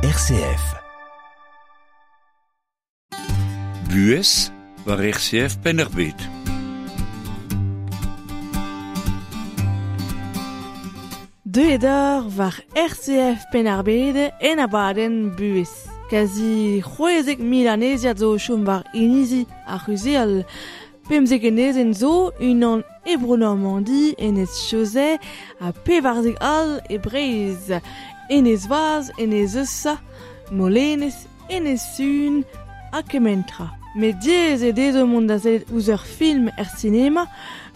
RCF. Buhez war RCF Penn-ar-Bed. Deuet eur war RCF Penn-ar-Bed en abadenn buhez. Kazi c'hwezek mil aneziad zo o chom war inizi ar c'huzhheol. Pemzek enezenn zo, unan e Bro-Normandi, enez Chausey, ha pevarzek all e Breizh. Enez Vaz, enez Eusa, Molenez, enez Sun ha kement tra. Met diaes eo dezho mont da sellet ouzh ur film er sinema,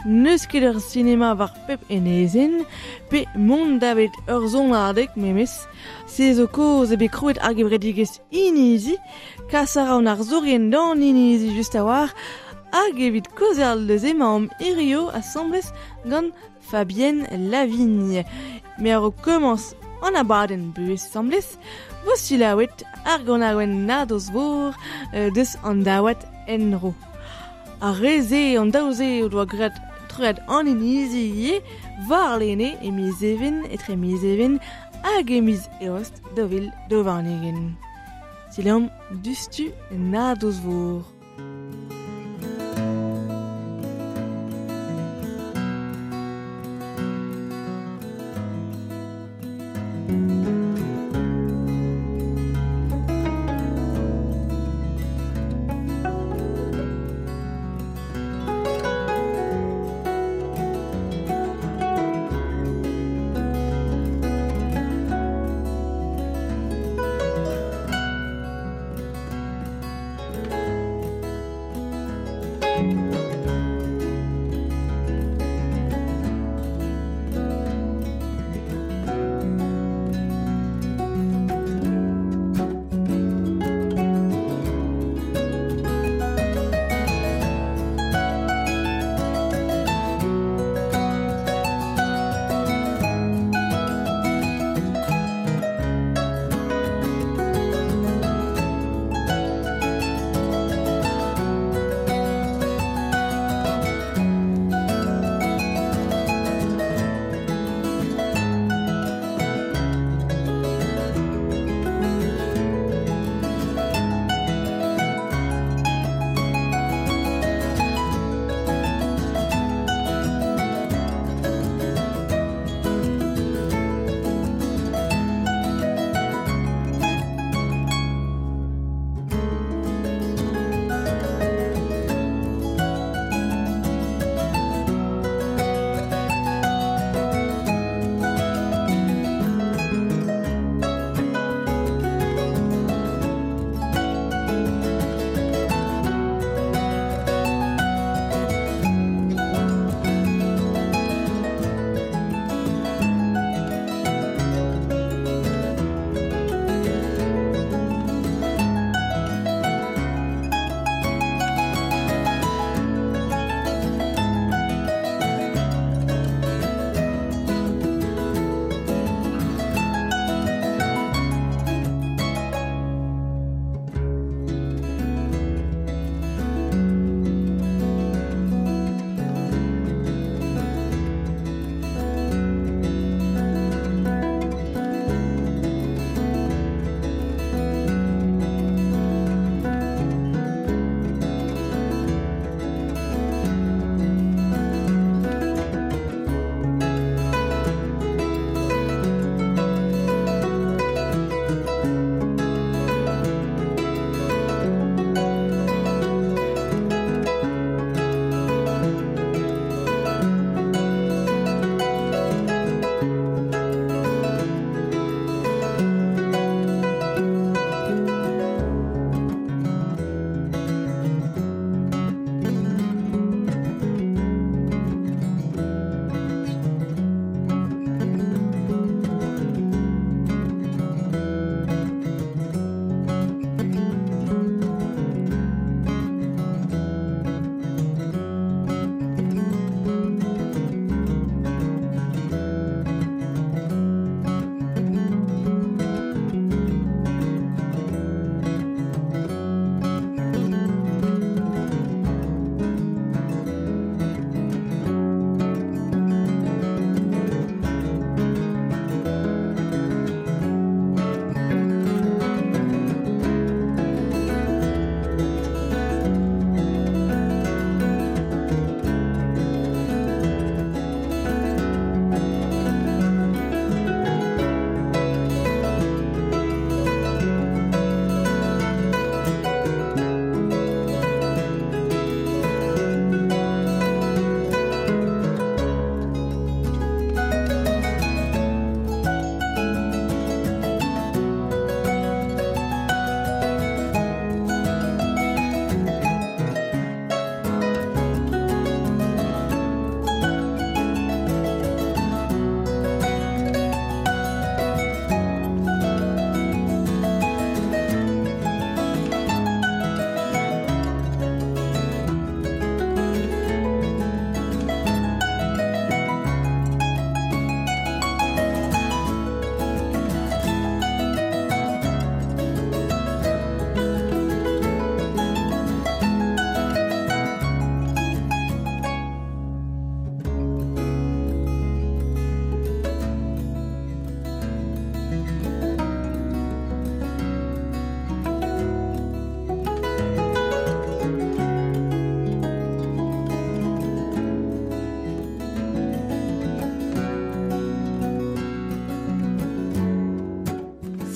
n'eus ket ur sinema war pep enezenn, pe mont davet ur sonadeg memes. Se zo kaoz eo bet krouet ar gevredigezh Inizi, kas a ra an arzourien d'an inizi just a-walc'h, hag evit kaozeal deus emaomp hirio asambles gant Fabienne Lavigne. Me a-raok komañs an abadenn buhez asambles, vo selaouet ar ganaouenn nadoz-vor deus an daouad en-dro. Ar re-se, an daou-se o doa graet troiad an inizi ivez warlene e miz Even, etre miz Even hag e miz Eost 2022. Selaomp diouzhtu nadoz-vor.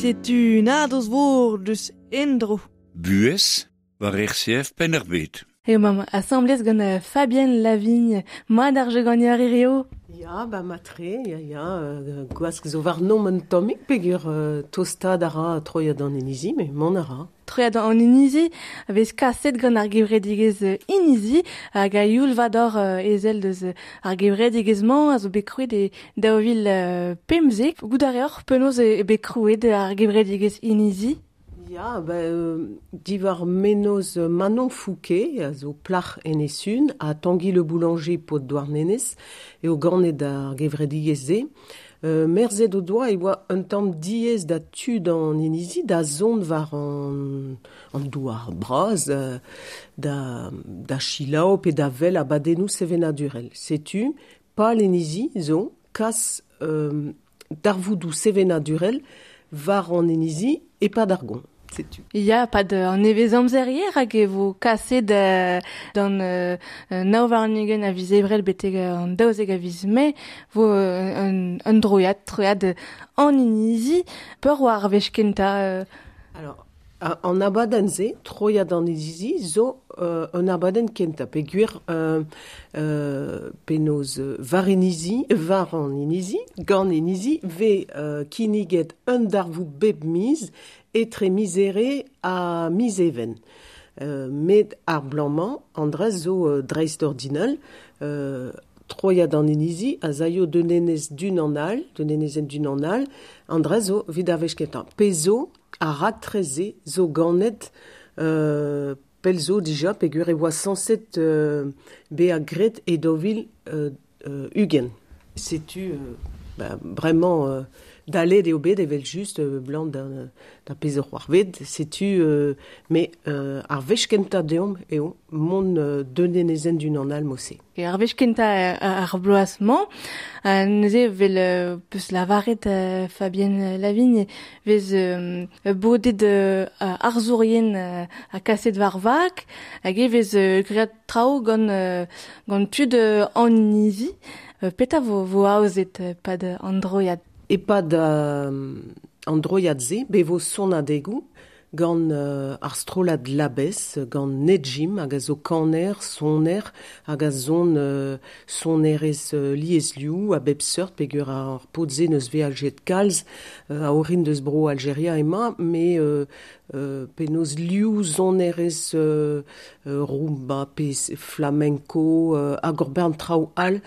Setu nadoz vor deus endro. Buhez war RCF Penn-ar-Bed. Eo mam asamblez gant Fabienne Lavigne, mat ar jeu ar eo. Ya, ba matre, ya, ya, gwask zo war nom un tammig peogwir tostaat a ra troiad an inizi, met mont a ra. Troiad an inizi, vez kaset gant ar gevredigezh inizi, hag a youl vador ezel deus ar gevredigezh-mañ a zo bet krouet e 2015. Goût a reoc'h penaos e bet krouet ar gevredigezh inizi? Ya, ba, diwar mennozh Manon Fouquet, a zo plac'h Enez-Sun, ha Tanguy Le Boulanger paotr Douarnenez, eo ganet ar gevredigezh-se. Merzet o doa e oa un tamm diaes da tud an inizi da zont war an douar bras, da selaou pe da wel abadennoù sevenadurel. Setu, pal inizi zo kas darvoudoù sevenadurel war an inizi e-pad ar goañv. Setu. Ya, pad an nevez amzer hag e vo kaset d'an nav warn-ugent a viz Ebrel betek an 12 a viz Mae vo un troiad an inizi peur war ar wech kentañ. Alors, an abadenn-se, troiad an inizi, zo un abadenn kentañ peogwir penaos war inizi, war an inizi, gant inizi, vez kinniget un darvoud bep miz etre miz Here ha miz Even. Met ar bloaz-mañ, an dra zo dreistordinal, troiad an inizi a zaio d'un enez d'un an all, d'un enezenn d'un an all, an dra zo evit ar wech kentañ. Pezh zo, ar raktres-se zo ganet pell zo dija peogwir e oa sañset bezañ graet e 2020. Setu bremañ dalet eo bet evel-just blant da pezh c'hoarved. Setu met ar wech kentañ deomp eo mont d'un enezenn d'un an all mod-se. Ar wech kentañ ar bloaz-mañ, neuze vel peus lavaret Fabienne Lavigne vez bodet arzourien ha kaset war vag, hag e vez graet traoù gant tud an inizi. Petra vo aozet pad an droiad? E-pad an droiad-se, be vo sonadegoù gant ar strollad Labès, gant Nedjim, hag a zo kaner, soner, hag a zon sonerezh liesliv a bep seurt, peogwir ar paotr-se neus veajet kalz a orin deus bro Aljeria emañ, met penaos liv sonerezh rumba pe flamenco hag ur bern traoù all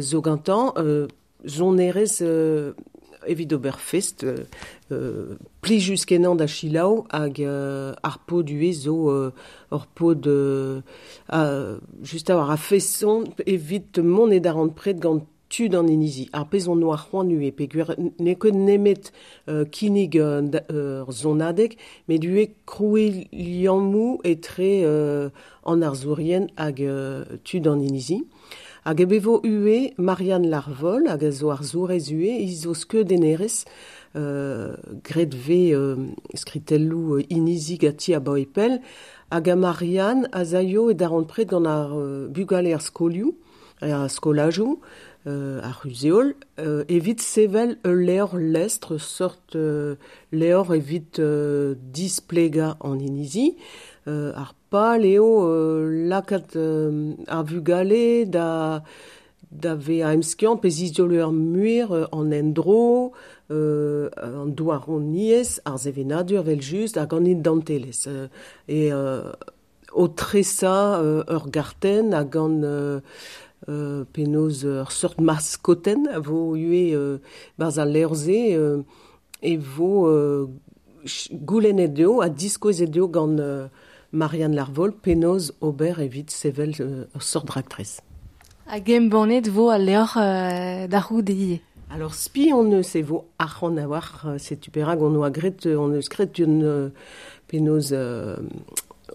zo gantañ, sonerezh evit ober fest, plijus kenañ da selaou hag ar paotr ivez zo ur paotr just a-walc'h a feson evit mont e darempred gant tud an inizi. Ar pezh on oa c'hoant ivez peogwir n'eo ket nemet kinnig ur sonadeg, met ivez krouiñ liammoù etre an arzourien hag tud an inizi. Hag e vo ivez Marianne Larvol, hag a zo arzourez ivez, hi zo skeudennerez, graet vez skritelloù inizi ganti abaoe pell, hag a Marianne a zaio e darempred gant ar bugale ar skolioù, ar skolajoù, ar c'huzh-heol, evit sevel ul levr lestr, sort levr evit displegañ an inizi. Ar pal eo lakaat ar vugale da vezañ emskiant pe zizolo ar muir an endro, an douaroniezh, ar sevenadur evel-just hag an identelezh. E o tresañ ur gartenn hag an penaos ur seurt maskotenn a vo ivez barzh al levr-se e vo goulennet eo ha diskouezet eo gant Marianne Larvol penaos ober evit sevel ur seurt raktres. Hag embannet vo al levr da c'houde ivez. Alors spi on eus e vo arc'hant a-walc'h, setu perak on oa graet, on eus graet un penaos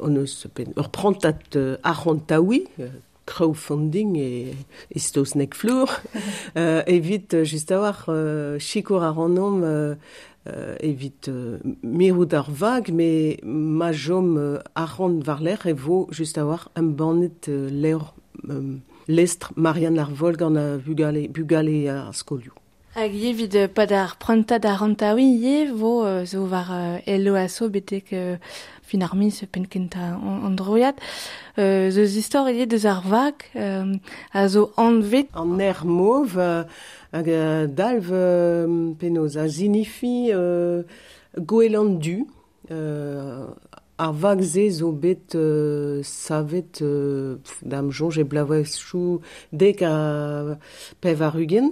on eus ur prantad arc'hantaouiñ, crowdfunding e saozneg flour, evit just a-walc'h sikour ar rannomp evit mirout ar vag, met ma chom arc'hant war-lerc'h e vo just a-walc'h embannet levr lestr Marianne Larvol gant ar bugale ar skolioù. Hag evit pad ar prantad ar rantaoui ivez vo zo war elo aso betek fin ar miz penn kentañ an droiad. Zo istor ivez deus ar vag a zo anvet. An aer mov hag dalv penaos a zinifi goelan du. Ar vag-se zo bet savet da'm soñj e bloavezhioù 90.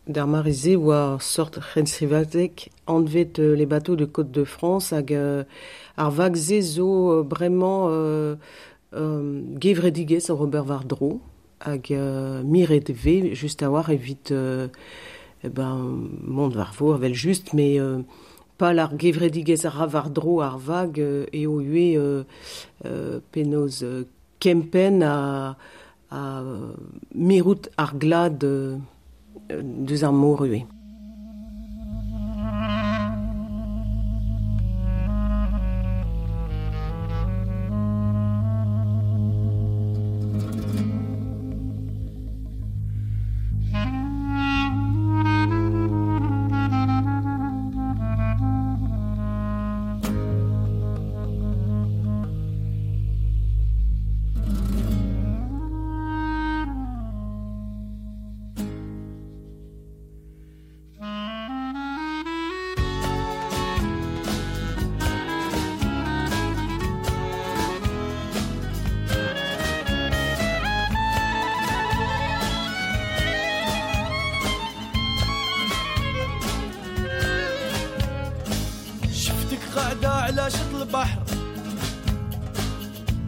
D'ar mare-se oa sort c'henstrivadeg anvet les bateaux de Côte de France hag ar vag-se zo bremañ gevredigezh oc'h ober war-dro hag miret e vez just a-walc'h evit ben mont war vor evel just met pal ar gevredigezh a ra war-dro ar vag eo ivez penaos kempenn ha mirout ar glad deus ar mor ivez. على شط البحر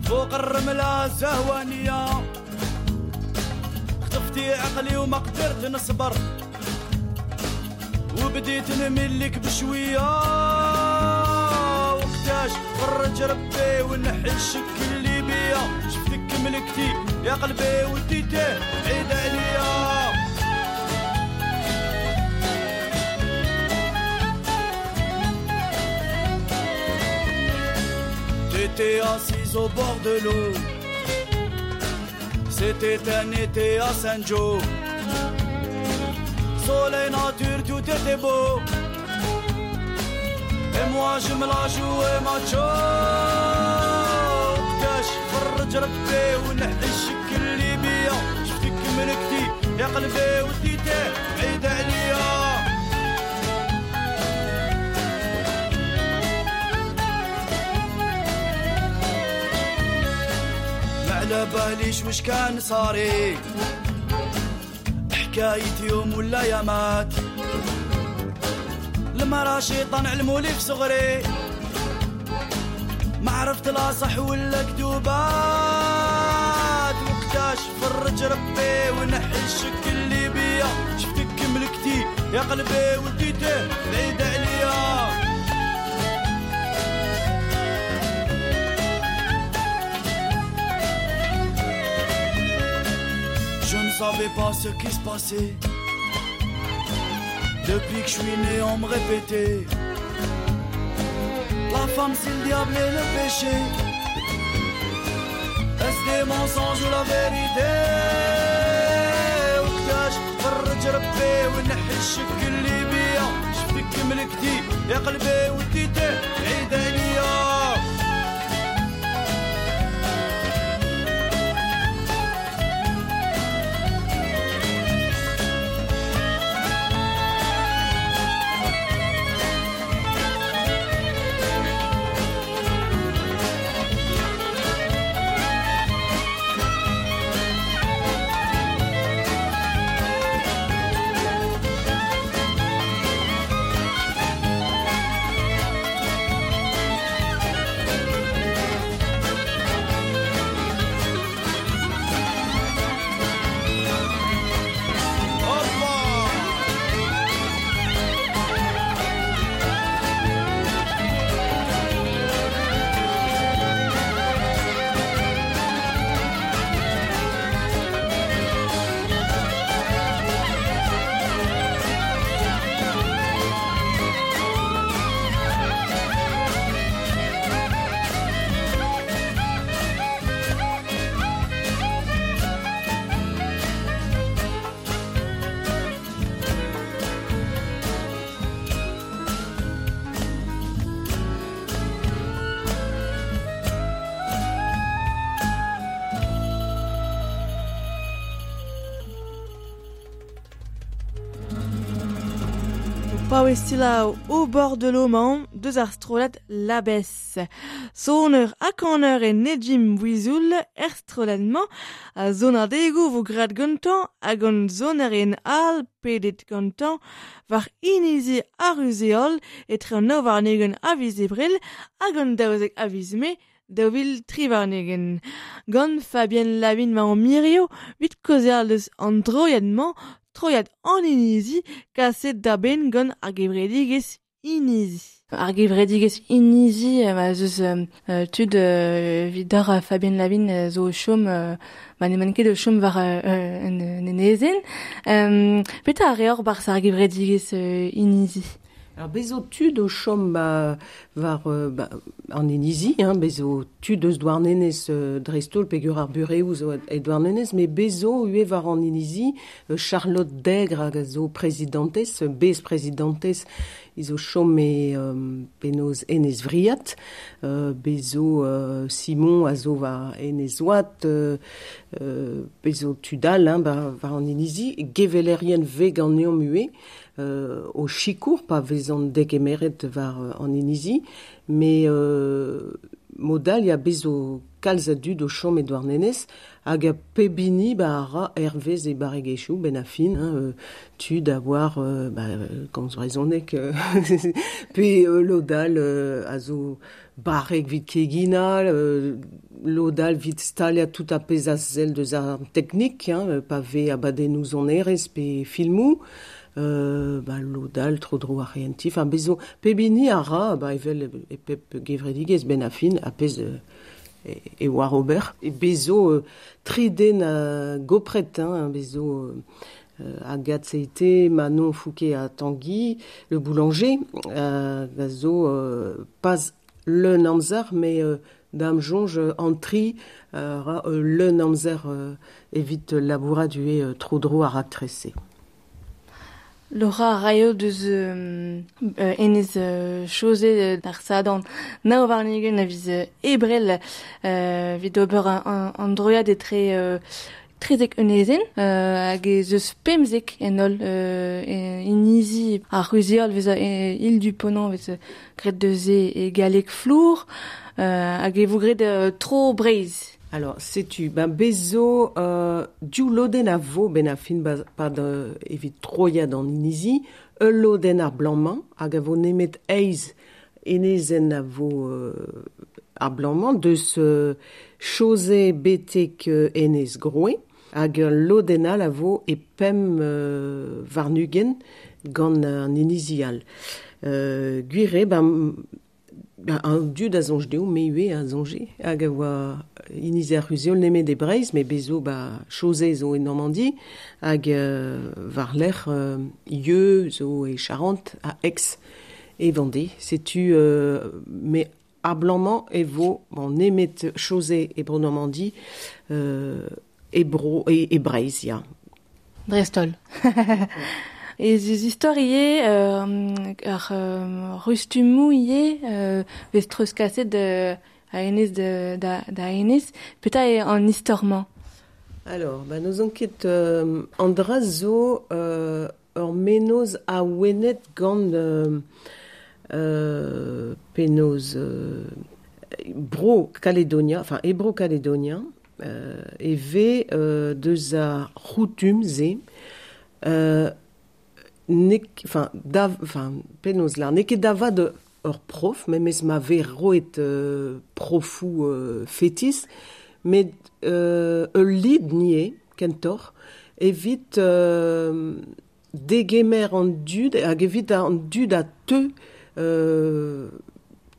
فوق الرملة زهوانية خطفتي عقلي وما قدرت نصبر وبديت نملك بشوية وقتاش فرج ربي ونحي الشك اللي بيا شفتك ملكتي يا قلبي وديته بعيد عليا. J'étais assise au bord de l'eau. C'était un été à Saint-Joe. Soleil, nature, tout était beau. Et moi je me la jouais macho. وقتاش فرج ربي ونحي الشك اللي بيا شفتك ملكتي يا قلبي وديته بعيد عليا. على باليش وش كان صاري حكاية يوم ولا يامات المرا شيطان علمولي في صغري ما عرفت لا صح ولا كذوبات وقتاش فرج ربي ونحي الشك اللي بيا شفتك ملكتي يا قلبي وديته بعيد عليا. Je ne savais pas ce qui se passait. Depuis que je suis né, on me répétait la femme c'est le diable et le péché. Est-ce des mensonges ou la vérité? وقتاش فرج ربي ونحي الشك اللي بيا شفتك ملكتي يا قلبي وديته بعيد عليا. Paouez au bord de l'Oman, deus ar strollad Labès. Soneur ha kaner e Nejim Bouizoul er strollad-mañ a zonadegou vo grad gantañ hag an zoner en al pedet gantañ war inizi ar uzeol etre an nav warn-ugent a viz ebrel hag an 12 a viz mae 2023. Gant Fabienne Lavin ma an mirio, vit kaozeal deus an droiad-mañ, troiad an inizi, kaset da benn gant ar gevredigezh inizi. Ar gevredigezh inizi, ma zeus tud evit d'ar Fabienne Lavin zo o chom, ma n'emaint ket o chom war un enezenn. Petra a reor barzh ar gevredigezh inizi? Alors bezo tud o chom war an inizi, hein, bezo tud eus Douarnenez dreist-holl peogwir ar bureoù zo e Douarnenez, met bezo ivez war an inizi Charlotte Dègre hag a zo prezidantez, bez-prezidantez, he zo chom e penaos Enez Vriad, bezo Simon a zo war Enez Oad, bezo tud all, hein, war an inizi, gevelerien ve ganeomp ivez, o sikour pa vezont degemeret war an inizi, me modal ya bezo kalz a dud o chom e Douarnenez hag a pebini ba a ra hervez e barregezhioù ben a fin, hein, tud a war komz brezhoneg pe lodal a zo barreg vit kegina, lodal vit staliañ tout a pezh a sell deus ar teknik, hein, pa vez abadennoù sonerezh pe filmoù, lodal tro-dro ar c'hehentiñ, enfin bezo pebini a ra, ba evel e pep gevredigezh ben a fin a pezh e war ober. E bezo tri den a gopret, hein, bezo Agathe Seité, Manon Fouquet à Tanguy, le boulanger, a zo pas leun amzer, mais dam jonge an tri ra leun amzer evit labourat ue tro-dro ar raktrese. Laura raio deus enez chose d'ar sadan nav warn-ugent a viz ebrel evit ober an droiad etre trezek enezenn hag ez eus pemzek en holl inizi ar c'huzheol vez île du Ponant vez graet deus e galleg flour hag e vo graet tro Breizh. Alors, setu, ben bezo div lodenn a vo ben a fin pad evit troiad an inizi, ul lodenn ar blanc-mañ hag a vo nemet eizh enezenn a vo ar blanc-mañ deus Chausey betek enez Groe hag ul lodenn all a vo e pemp warn-ugent gant an inizi all. Gwir eo, ben an dud a soñj dezho, me ivez a soñje, hag a oa inizi ar c'huzheol nemet e Breizh, met bezo ba Chausey zo e Normandi, hag war-lerc'h Yeu zo e Charente, ha Aix e Vendée. Setu me ar blanc-mañ e vo bon, nemet Chausey e bro Normandi, e bro e Breizh, ya. Dreist-holl. Ez eus istor ivez, ar rustummoù ivez, vez treuzkaset a enez da enez. Petra eo an istor-mañ? Alors, ba n'ouzon ket an dra zo ur mennozh awenet gant penaos bro Kaledonia, enfin e bro Kaledonia, e vez deus ar c'houtum-se enfin, enfin, penaos lar, n'eo ket da vat ur prof, memes ma vez roet profoù fetis, met ul lid nie, kentoc'h, evit degemer an dud, hag evit an dud a teu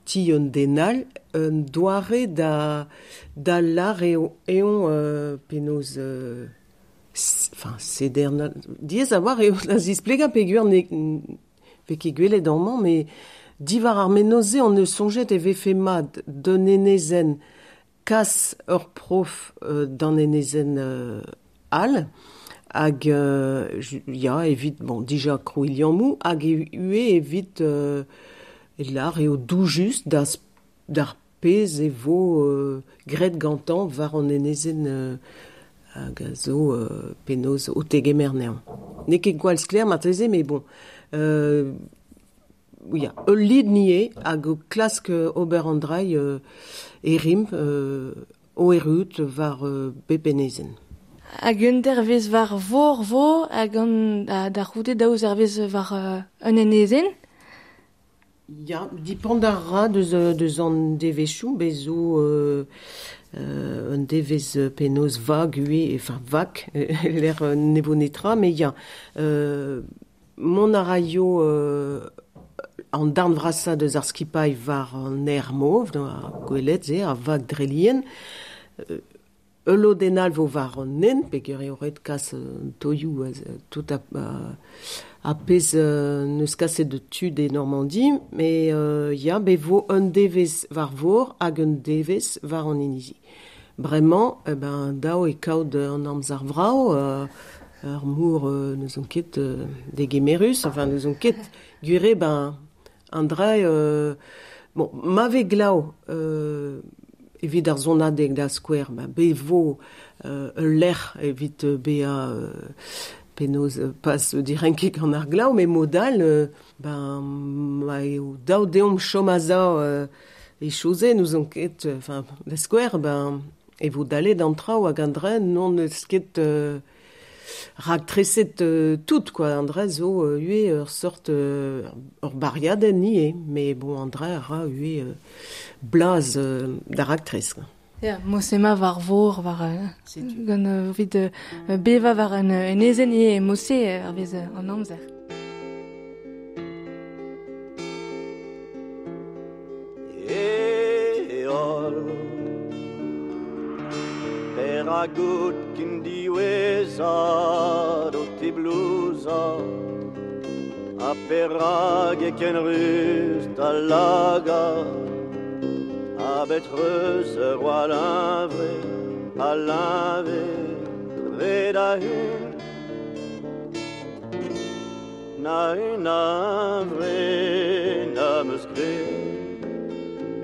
ti un den all, un doare da lar eo eon penaos enfin, seder diaes a war eo da zisplegañ peogwir ne vez ket gwelet amañ, met diwar ar mennozh-se on eus soñjet e vefe mat d'un enezenn kas ur prof d'an enezenn all, hag ya, evit, bon, dija krouiñ liammoù, hag ivez evit lar eo doujus d'ar pezh e vo graet gantañ war an enezenn hag a zo penaos o tegemer anezhañ. N'eo ket gwall sklaer marteze, met bon, ya, ul lid nie hag o klask ober an drai e rimp o erut war bepenezen. Hag un dervez war vor vo hag an da c'houde daou zervez war un enezen? Ya, dipend a ra deus an devezhioù, bez zo un devez penaos vag ue, enfin vak, l'air ne vo netra, mais ya, mont a raio an darn vrasa deus ar skipailh war an aer mov, ar gwelet ze, ar vag drelien, ul lodenn all vo war an nen, peogwir eo ret kas toioù tout a pezh neus kaset de tud e Normandie, mais ya, be vo un devez war vor hag un devez war an inizi. Bremañ, eh ben, dao e kaout an amzer vrao, ur mour neus on ket degemerus, enfin neus on ket gwire, ben, an dra, bon, ma ve glav evit ar zonadeg da skouer, ben, be vo ul lec'h evit bea penaos pas direnket gant ar glav, mais modal, ben, ma eo daou deomp chom a za e chose, nous on ket, enfin, da skouer, ben, e vo dalet an traoù hag an dra non eus ket rak treset tout, quoi. An dra zo ue ur sort ur bariadenn nie, mais bon, an dra a ra ue blaz da raktres. Ya, mosema war vor, war gant evit beva war an enezen e mose ar vez an amzer. Eol Peragout kin diwezhat o teblouza A perag e ken ruz da laga A bet reus ur oa l'invre, a l'inve, dre da hun. Na un invre na meus gret,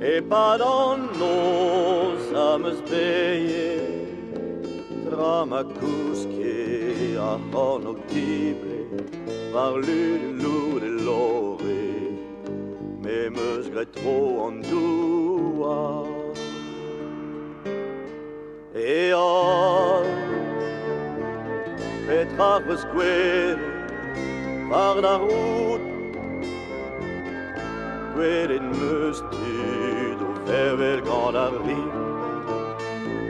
e pad an noz a meus beie, tra ma kouske a c'hornog dible, war lud loud e lore, me meus gret tro an douar. Eol, petra reus gwelet war da rout, gwelet meus tud o vervel gant ar riv,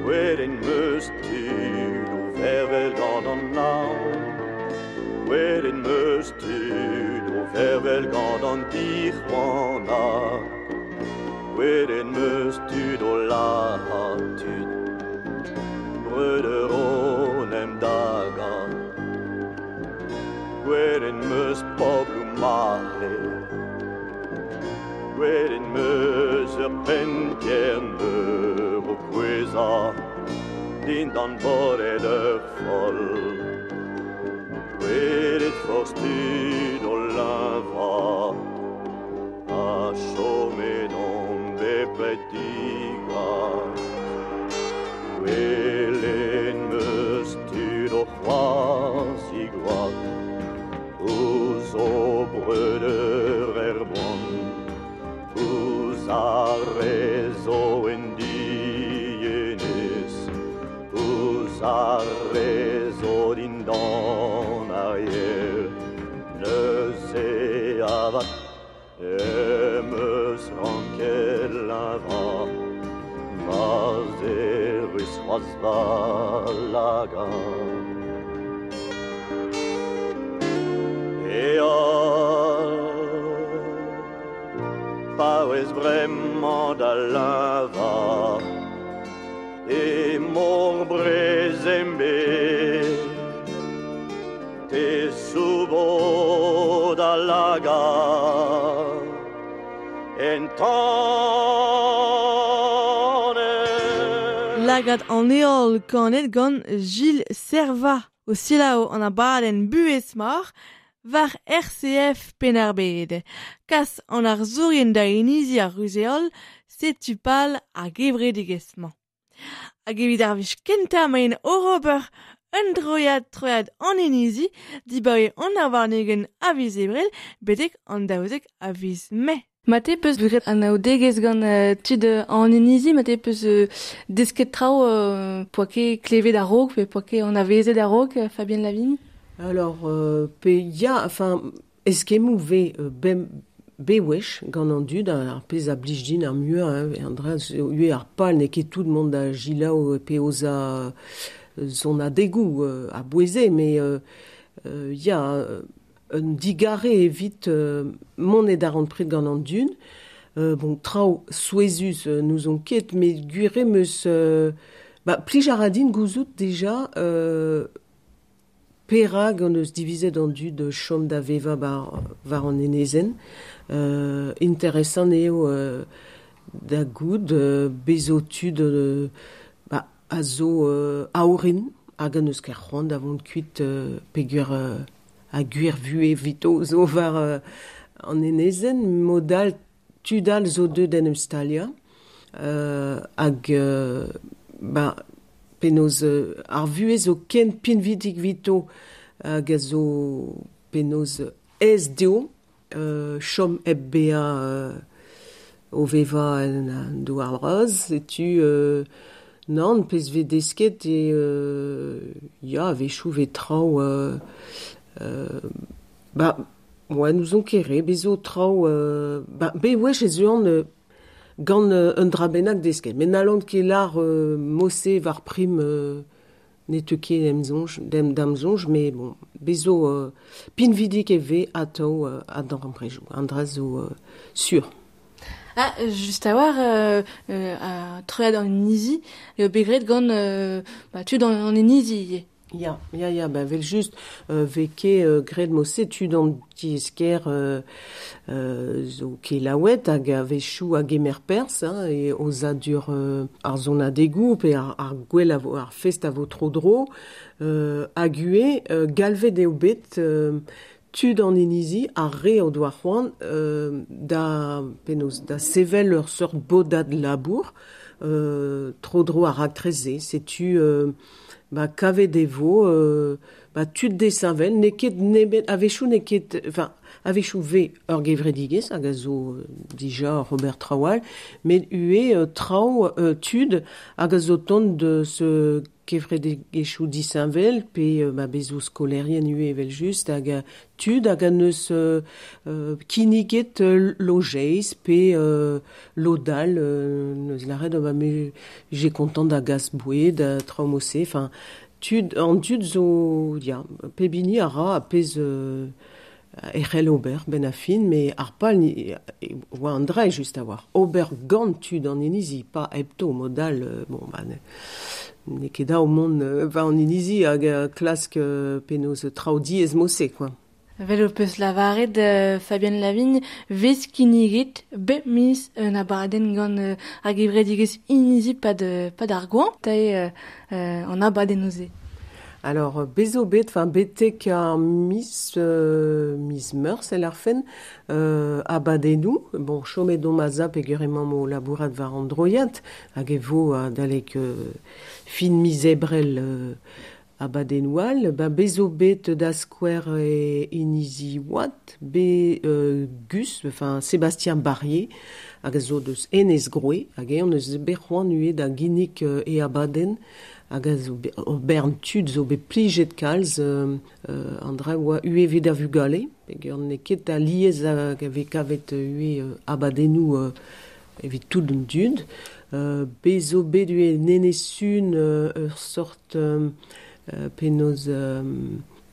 gwelet meus tud o vervel gant an naon, gwelet meus tud o vervel gant an dic'hoanag, gwelet meus tud o lazhañ tud, breudeur o n'em daga, gwelet meus pobloù mare, gwelet meus ur penn-kern meur o kouezhañ dindan bodet ur foll, gwelet forzh tud o leñvañ, ha chomet on bepred digas, gwelet meus tud o c'hoarzh gwad, ouzh o breudeur er boan, ouzh ar re zo en dienez, ouzh ar re zo dindan ar yer, neuze avat em eus ranket leñvañ, ma'z erus c'hoazh va lagad. Eol, paouez bremañ da leñvañ, e mor brezembe, te soubo da lagad en tanez. Lagad an eol kanet gant Gilles Serva o selaou an abadenn buhez mar war RCF Penn-ar-Bed. Kas an arzourien da inizi ar ruzeol, setu pal ar gevredigezh-mañ. Hag evit ar wech kentañ maen o ober Un droiad an inizi, dibaoe an avarnegen a viz ebrel, betek an daouzek a viz mai. Mate peus graet an aodegezh gant tud an inizi, mate peus desket traoù poa ket klevet a-raok, pe poa ket anavezet a-raok, Fabienne Lavigne? Alors, pe ya, enfin, eskemmoù ve bewech gant an dud, ar pezh a blij din ar muiañ, hein, an dra ue ar pal n'eo ket tout mont da gilaou pe oza zon adegoù a boueze, mais ya, un digare evit mont ed ar an pred gant an dud. Bon, traoù souezhus nous on ket, met gwir eo meus ba, plij a ra din gouzout deja perak an eus divizet an dud chom da veva war an enezenn. Interesant eo da goud bezo tud ba, a zo a orin hag an eus ket c'hoant da vont kuit peogwir a gwir vuhez vito zo war an enezenn, modal tud all zo deuet en em staliañ hag ba, penaos ar vuhez zo ken pinvidik vito hag a zo penaos aes dezho chom hep bezañ o vevañ en an douar bras, setu nann pezh vez desket eo ya a-wechoù vez traoù ba, ouais, n'ouzon ket re, bez zo traoù ba, bewech ez eus an gant un dra bennak desket. Met n'hallont ket lar mosse war prim ne teu ket em soñj, da'm soñj, met bon, bez zo pinvidik e vez atav a-dan an prejoù. An dra zo sur. Ah, just a-walc'h, a troiad an inizi, eo bet graet gant ba, tud an inizi ivez. Ya, ya, ya, ba, vel just, vez ket graet mosse tud an tiez-kêr zo kelaouet hag a-wechoù a gemer perzh, hein, e ozadur ar sonadegoù pe ar gwell a vo, ar fest a vo tro-dro, hag ivez galvet eo bet tud an inizi ar re o doa c'hoant da, penaos, da sevel ur seurt bodad labour tro-dro ar raktres-se. Setu ba, kavet e vo ba, tud desheñvel, n'eo ket nemet, a-wechoù n'eo ket, enfin, a-wechoù vez ur gevredigezh hag a zo dija Robert Traoù all, met ivez traoù tud hag a zo tont deus kevredigezhioù disheñvel pe ba, bez zo skolaerien ivez evel-just hag tud hag an eus kinniget lojeiz pe lodal neus lâret ba, me j'ai kontant da gas boued traoù mosse, enfin tud an dud zo ya pep hini a ra a pezh e c'hell ober ben a fin, met ar pal ni oa an dra just a-walc'h. Ober gant tud an inizi, pa hepto modal bon ba n'eo ket dav mont war an inizi hag klask penaos traoù diaes mosse, quoi. Vel ho peus lavaret Fabienne Lavigne, vez kinniget bep miz un abadenn gant ar gevredigezh inizi pad ar goañv, tae an abadenn-se. Alors, bez zo bet, enfin, betek ar miz, miz meurzh el ar fen, abadennoù, bon, chomet omp a zap peogwir emañ o labourat war an droiad, hag e vo adalek fin miz ebrel abadennoù all, ba, bez zo bet da skouer e inizi Oad, be Gus, enfin, Sébastien Barrier, hag a zo deus Enez Groe, hag eñ eus bet c'hoant ivez da ginnig e abadenn, hag a zo ur bern tud zo bet plijet kalz an dra oa ivez evit ar vugale, peogwir n'eo ket alies hag a vez kavet ivez abadennoù evit tout an dud. Bez zo bet ivez Nenez-Sun ur sort penaos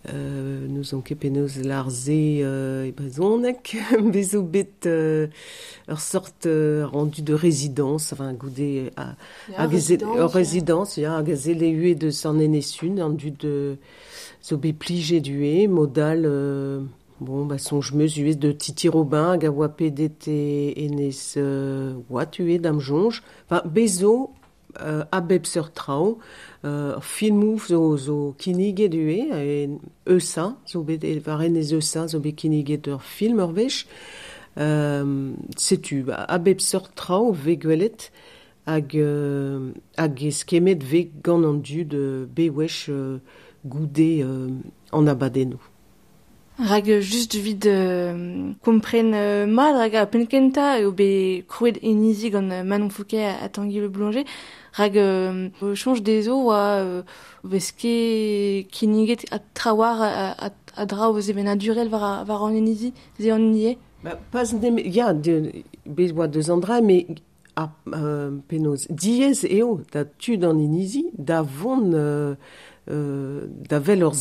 n'ouzon ket penaos lar-se e brezhoneg, bez zo bet ur sort rendu de résidence, enfin goude hag ur résidence, ya, hag a zelle ivez deus an Enez-Sun, an dud zo bet plijet ivez, modal bon, ba, soñj meus ivez de Titi Robin hag a oa pedet e Enez Oad ivez da'm soñj. Enfin, bez zo a bep seurt traoù, filmoù zo kinniget ivez, e Eusa, zo bet war Enez Eusa zo bet kinniget ur film ur wech. Setu, ba, a bep seurt traoù vez gwelet hag eskemmet vez gant an dud bewech goude an abadennoù. Rag just vid kompren mat rag a penkenta eo bet krouet inizi gant Manon Fouquet ha Tanguy Le Boulanger rag chanj dezo oa veske kinniget a trawar a dra o zevenadurel war an inizi ze an nie. Ba, pas nem, ya, bez oa deus an dra, me a penaos diez eo da tud an inizi da vont da vel ur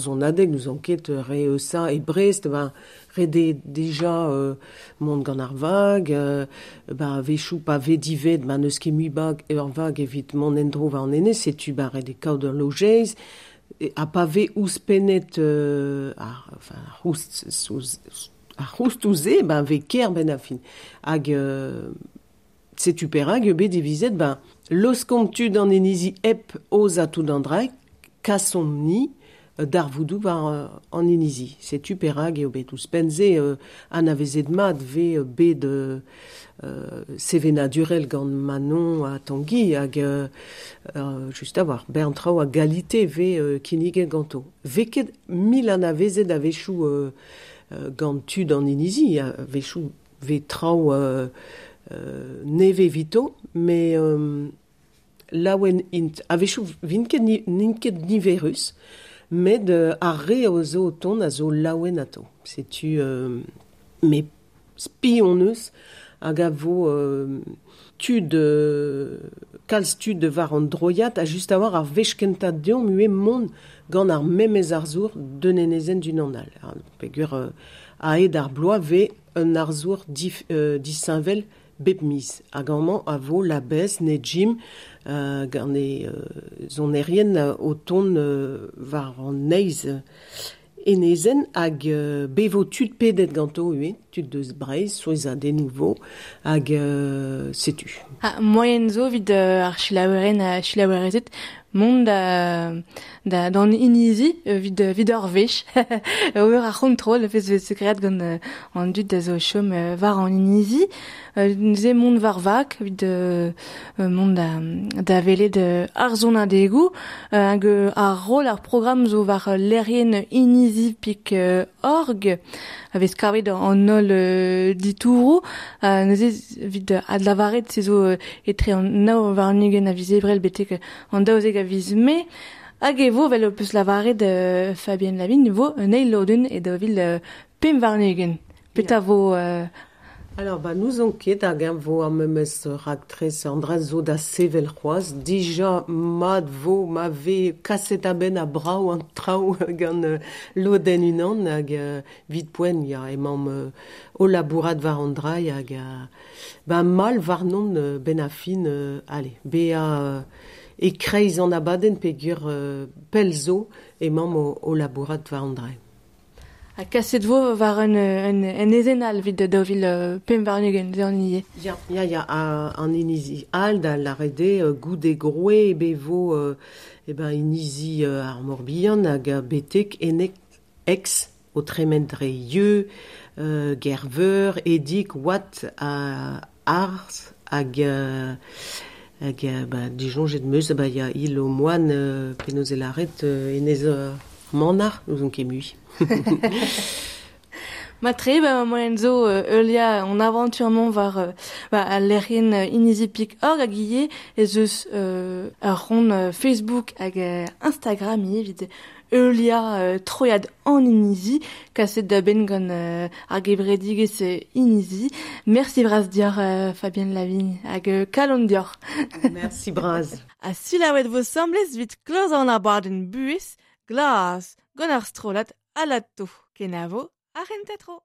zonadeg nous enquête re ça e Brest ben re déjà mont gant ar vag ba vechou pa ve divet ba neus ket mui bag ur vag evit mont endro war an enez setu ba re de kaout ur lojeiz ha pa ve ouzhpennet ar enfin ar c'houst ouzh ben ve ker ben a fin hag setu perak eo bet divizet ben loskomp tud an inizi hep oz a tout an draig, kasomp ni d'ar voudou war an inizi. Setu perak eo bet ouzhpenn-se anavezet mat ve bet sevenadurel gant Manon ha Tanguy hag just a war bern traoù a galite ve kinniget ganto. Ve ket mil anavezet a-wechoù gant tud an inizi, a-wechoù ve traoù neve vito, me laouen int a-wechoù vint ket n'int ket niverus, met ar re o zo o tont a zo laouen ato. Setu me spi on eus hag a vo tud kalz tud war an droiad a just a war ar wech kentañ deomp ue mont gant ar memez arzour d'un enezenn d'un an all. Peogwir aet ar bloaz ve un arzour disheñvel bep miz. Hag amañ a vo Labez, Nejim, gant e zonerien o tont war an neiz enezenn hag bevo tud pedet ganto ue, tud deus Breizh, souezhadennoù vo, hag setu. Ha moaien zo evit ar selaouerien ha selaouerezed mont da d'an inizi evit ur wech. Ober ar c'hontrol, fez vez sekreat gant an dud da zo chom war an inizi. Neuze mont war vak evit mont da welet ar zonadegoù. Hag ar roll ar programm zo war lec'hienn inizi.org a vez kavet an holl ditouroù. Neuze evit adlavaret se zo etre an nav warn-ugent a viz Ebrel betek an 12 a viz Mae. Hag e vo, vel o peus lavaret Fabienne Lavigne, vo un eil lodenn e 2025. Petra vo... Alors, ba, nous on ket hag eñ vo ar memes raktres an dra zo da sevel c'hoazh. Dija mat vo ma ve kaset a-benn a brav an traoù gant lodenn unan hag vit poent ya emañ o labourat war an dra hag ba mal warnon ben a fin allez, bezañ e kreiz an abadenn peogwir pell zo emañ o labourat war an dra. Ha kaset vo war un ezen all evit 2025 ze an inizi. Ya, an inizi all da lâret eo goude groe be vo e ben inizi ar Morbihan hag betek enek ex o tremen dre Yeu, Gerveur, Edig, Watt, Arz hag ba disoñjet meus ba ya il o moan penaos e lâret enez Manar, nous on ket mui. Matre, ba moaien zo heuliañ an avantur-mañ war ba al lec'hienn inizi.org hag ivez ez eus ur c'hont Facebook hag Instagram ivez evit heuliañ troiad an inizi kaset da benn gant ar gevredigezh inizi. Merci bras deoc'h Fabienne Lavigne hag kalon deoc'h. Merci bras. Ha selaouet vo semblez evit klozañ an abadenn buhez glas gant ar strollad Alato. Kenavo ar c'hentatro.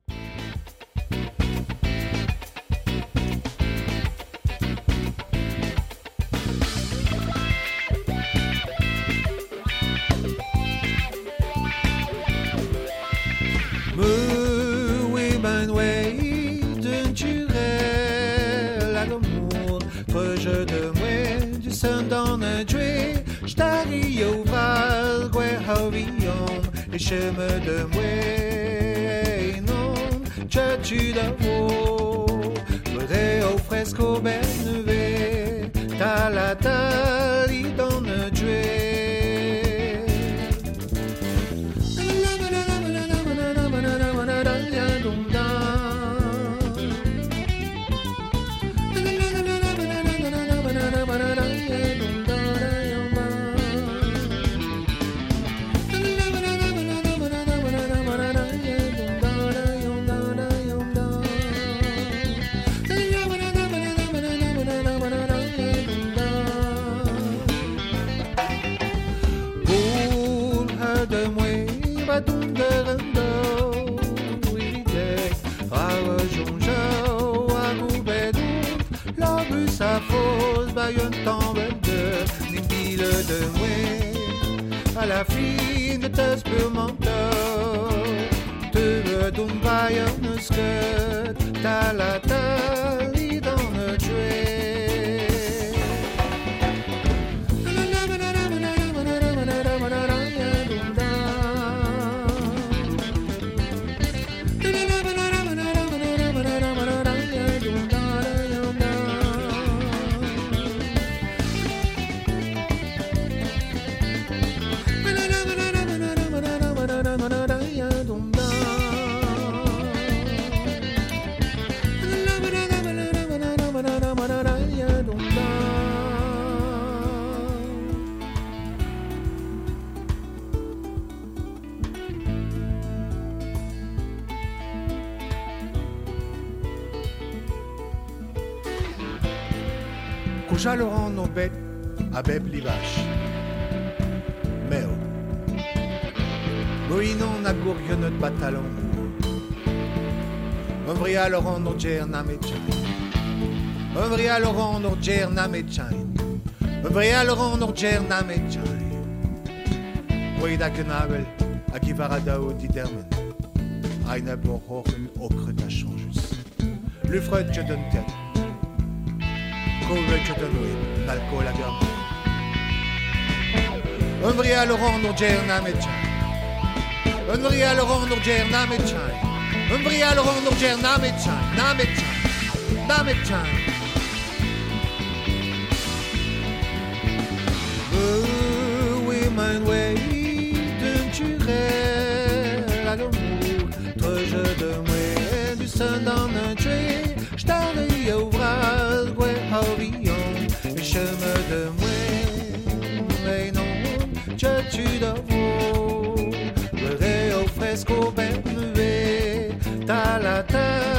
Et je me demouais non, tu d'avo, au fresco benve, ta la tali dans le jouet. jonjao a goubedout la bus a foz ba un tambel de nin de moué à la fin de te spurmentor te don bayon sket ta la tali dans le tuer. Kouja Laurent no bet a bep livach. Meo. Moinon na gourionot batalon. Omvria Laurent no djer na metchain. Omvria Laurent no djer na metchain. Omvria Laurent no djer na metchain. Oida kenabel a givaradao didermen. Aina borhochen okret a chanjus. Lufred je donne tête. L'alcool a gardé. Unvria Laurent Nourjer Nametchain. Unvria Laurent Nourjer Nametchain. Unvria Laurent Nourjer Nametchain. Nametchain. Nametchain. Oui, mein way, tu la l'amour, toi je de moi, du sein dans un tué, je t'en au bras, horion, chemin de moi, mais non, je tu d'avo, le au fresco ben ta la ta.